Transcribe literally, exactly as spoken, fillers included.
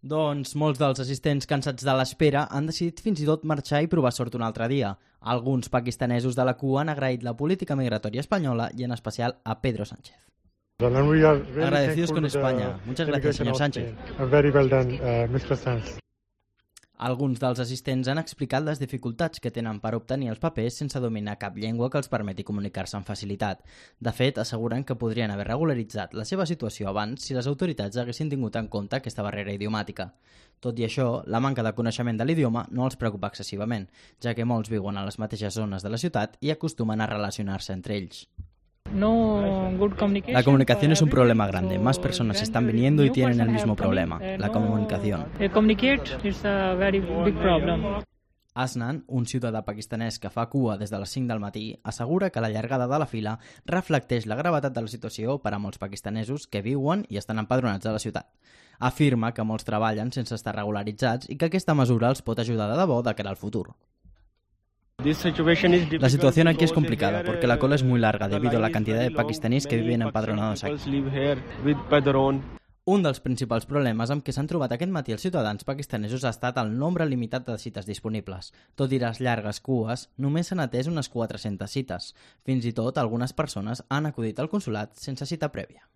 Doncs molts dels assistents cansats de l'espera han decidit fins i tot marxar i provar sort un altre dia. Alguns pakistanesos de la cua han agraït la política migratòria espanyola i en especial a Pedro Sánchez. Agradecidos con España. Muchas gracias, señor Sánchez. Very well done, uh, mister Sánchez. Alguns dels assistents han explicat les dificultats que tenen per obtenir els papers sense dominar cap llengua que els permeti comunicar-se amb facilitat. De fet, asseguren que podrien haver regularitzat la seva situació abans si les autoritats haguessin tingut en compte aquesta barrera idiomàtica. Tot i això, la manca de coneixement de l'idioma no els preocupa excessivament, ja que molts viuen a les mateixes zones de la ciutat i acostumen a relacionar-se entre ells. La comunicación es un problema grande. Más personas están viniendo y tienen el mismo problema, la comunicación. Asnan, un ciutadà pakistanès que fa cua des de les cinc del matí, assegura que la llargada de la fila reflecteix la gravetat de la situació per a molts pakistanesos que viuen i estan empadronats a la ciutat. Afirma que molts treballen sense estar regularitzats i que aquesta mesura els pot ajudar de debò de cara al futur. La situación aquí es complicada porque la cola es muy larga debido a la cantidad de pakistaníes que viven empadronados aquí. Un dels principals problemes amb què s'han trobat aquest matí els ciutadans pakistanesos ha estat el nombre limitat de cites disponibles. Tot i les llargues cues, només s'han atès unes quatre-centes cites. Fins i tot, algunes persones han acudit al consolat sense cita prèvia.